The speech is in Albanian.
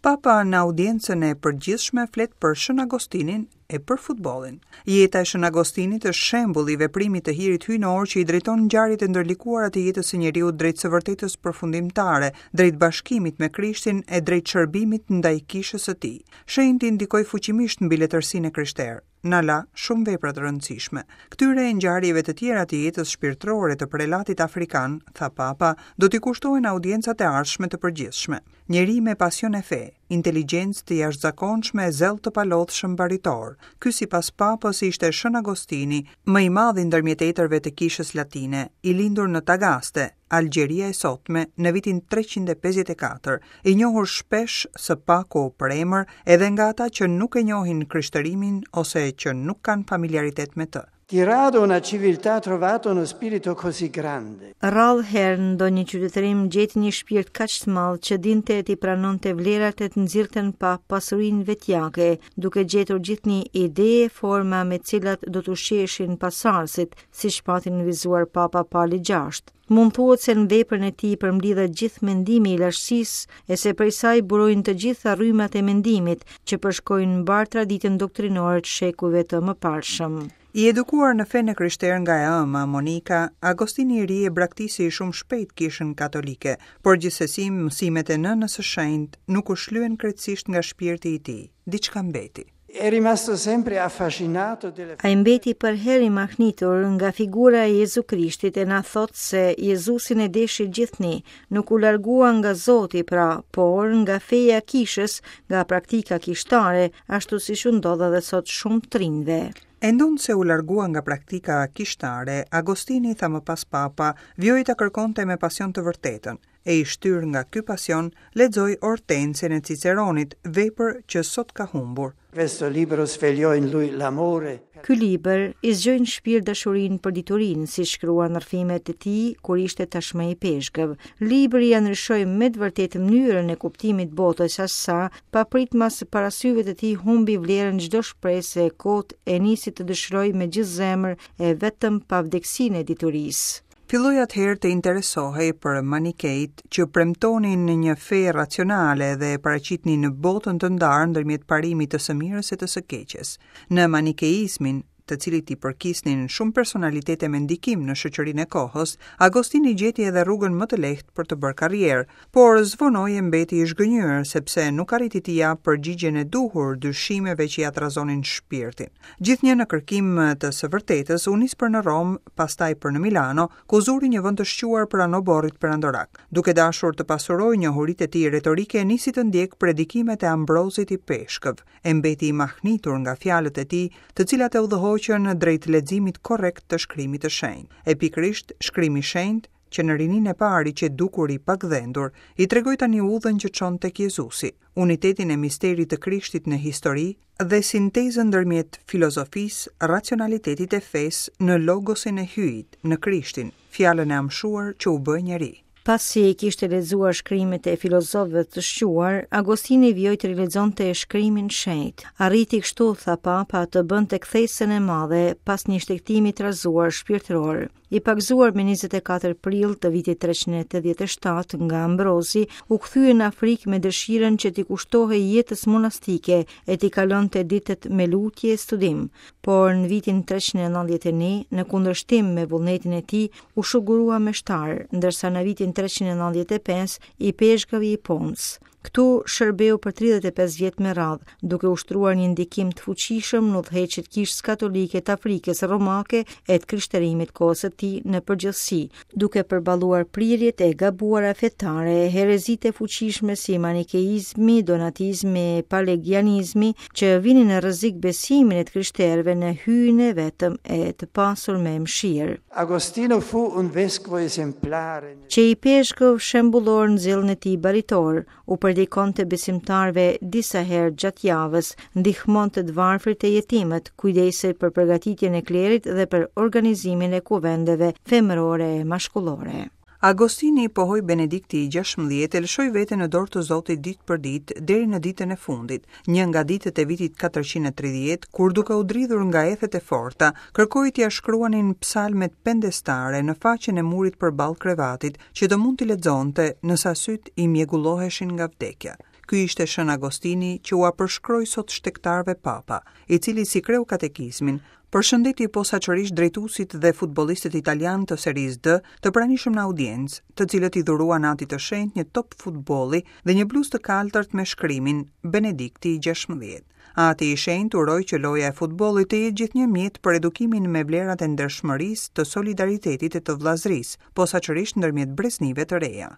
Papa në audiencën e përgjithshme flet për Shën Agostinin e për futbollin. Jeta e Shën Agostinit është shembull i veprimit të hirit hyjnor që i drejton ngjarjet e ndërlikuara të jetës së njeriut drejt së vërtetës përfundimtare, drejt bashkimit me Krishtin e drejt shërbimit ndaj kishës së tij. Shenjti ndikoi fuqimisht mbi letërsinë e krishterë. Na la shumë vepra të rëndësishme. Këtyre e ngjarjeve të tjera të jetës shpirtërore të prelatit afrikan, tha Papa, do t'i kushtohen audiencat e ardhshme të përgjithshme. Njeri me pasion e fe, inteligjencë të jashtëzakonshme e zell të palodhshëm baritor. Ky sipas Papës ishte Shën Agostini, më i madhi ndërmjet etërve të Kishës Latine, i lindur në Tagaste, Algjeria e sotme, në vitin 354, i njohur shpesh së paku për emër edhe nga ata që nuk e njohin krishtërimin ose që nuk kanë familiaritet me të. Di rado una civiltà ha trovato uno spirito così grande. Rrallë herë ndonjë qytetërim gjeti një shpirt kaq të madh që dinte t'i pranonte vlerat e të nxirrte në pah pasurinë vetjake, duke gjetur gjithnjë ide e forma me të cilat do të ushqeheshin pasardhësit, siç pati nënvizuar Papa Pali VI. Mund thuhet se në veprën e tij përmblidhet gjithë mendimi i lashtësisë e se prej saj burojnë të gjitha rrymat e mendimit që përshkojnë mbarë traditën doktrinore të shekujve të mëparshëm. I edukuar në fenë e krishterë nga e ëma, Monika, Agostini i ri e braktisi shumë shpejt kishën katolike, por gjithsesi mësimet e nënës së shenjtë nuk u shlyen krejtësisht nga shpirti i tij. Diçka mbeti. È rimasto sempre affascinato della Ai mbeti përherë i mahnitur nga figura e Jezu Krishtit e na thotë se Jezusin e deshi gjithnjë, nuk u largua nga Zoti pra, por nga feja e kishës, nga praktika kishtare, ashtu siç u ndodh edhe sot shumë të rinjve. E ndonëse u largua nga praktika kishtare, Agostini, tha më pas Papa, vijoi ta kërkonte me pasion të vërtetën. E i shtyrë nga ky pasion, lexoi Ortensen e Ciceronit, vepër që sot ka humbur. Questo libro svegliò in lui l'amore. Ky libër i zgjoi në shpirt dashurinë për diturinë, siç shkruan në rrëfimet e tij kur ishte tashmë ipeshkëv. Libri ia ndryshoi me të vërtetë mënyrën e kuptimit të botës aq sa, papritmas para syve të tij humbi vlerën çdo shpresë e kotë e nisi të dëshirojë me gjithë zemër e vetëm pavdekësinë e diturisë. Filloi atëherë të interesohej për manikejtë që premtonin një fe racionale dhe e paraqitnin botën të ndarë ndërmjet parimit të së mirës e të së keqes. Në manikeizmin, të cilit i përkisnin shumë personalitete me ndikim në shoqërinë e kohës, Agostini gjeti edhe rrugën më të lehtë për të bërë karrierë, Por zvonoi e mbeti i zhgënjyer, sepse nuk arriti t'i japë përgjigjen e duhur dyshimeve që ia trazonin shpirtin. Gjithnjë në kërkim të së vërtetës, u nis për në Romë, pastaj për në Milano, ku zuri një vend të shquar pranë oborrit perandorak. Duke dashur të pasurojë njohuritë e tij retorike, nisi të ndjekë predikimet e Ambrozit ipeshkëv, e mbeti i mahnitur nga fjalët e tij, të cilat e udhëhoqën drejt leximit korrekt të shkrimit të shenjtë. E pikërisht shkrimi i shenjtë, që në rininë e parë i qe dukur i pagdhendur, i tregoi tani udhën që çon tek Jezusi, unitetin e misterit të Krishtit në histori dhe sintezën ndërmjet filozofisë, racionalitetit e fesë në logosin e Hyjit, në Krishtin, fjalën e amshuar që u bë njeri. Pasi i kishte lexuar shkrimet e filozofëve të shquar, Agostini vijoi të rilexonte shkrimin e shenjtë. Arriti kështu, tha Papa, të bënte kthesën e madhe pas një shtegtimi të trazuar shpirtëror. I pagëzuar me 24 prill të vitit 387 nga Ambrozi, u kthye në Afrikë me dëshirën që t'i kushtohej jetës monastike e t'i kalonte ditët me lutje e studim. Por në vitin 391, në kundërshtim me vullnetin e tij, u shugurua meshtar, ndërsa në vitin 395 ipeshkëv i Hiponë. Këtu shërbeu për 35 vjet me radhë, duke ushtruar një ndikim të fuqishëm në udhëheqje të Kishës Katolike të Afrikës Romake e të krishterimit kohës së tij në përgjithësi, duke përballuar prirjet e gabuara fetare, herezitë e fuqishme si manikeizmi, donatizmi e pelagianizmi, që vinin në rrezik besimin e të krishterëve në Hyjin e vetëm e të pasur me mëshirë. Agostino fu un vescovo esemplare. Qe ipeshkëv shembullor në zellin e tij baritor, u predikonte besimtarëve disa herë gjatë javës, ndihmonte të varfrit e jetimët, kujdesej për përgatitjen e klerit dhe për organizimin e kuvendeve femërore e mashkullore. Agostini, pohoi Benedikti i 16, e lëshoi veten në dorë të Zotit ditë për ditë deri në ditën e fundit, një nga ditët e vitit 430, kur duke u dridhur nga ethet e forta, kërkoi t'ia shkruanin psalmet pendestare në faqen e murit përballë krevatit, që të mund t'i lexonte, nëse sytë i mjegulloheshin nga vdekja. Ky ishte Shën Agostini që ua përshkroi sot shtegtarëve Papa, i cili si kreu katekizmin, përshëndeti posaçërisht drejtuesit dhe futbollistët italianë të Serisë D të pranishëm në audiencë, të cilët i dhuruan Atit të Shenjtë një top futbolli dhe një bluzë të kaltërt me shkrimin Benedikti i 16. Ati i Shenjtë uroi që loja e futbollit të jetë gjithnjë mjet për edukimin me vlerat e ndershmërisë, të solidaritetit e të vëllazërisë, posaçërisht ndërmjet breznive të reja.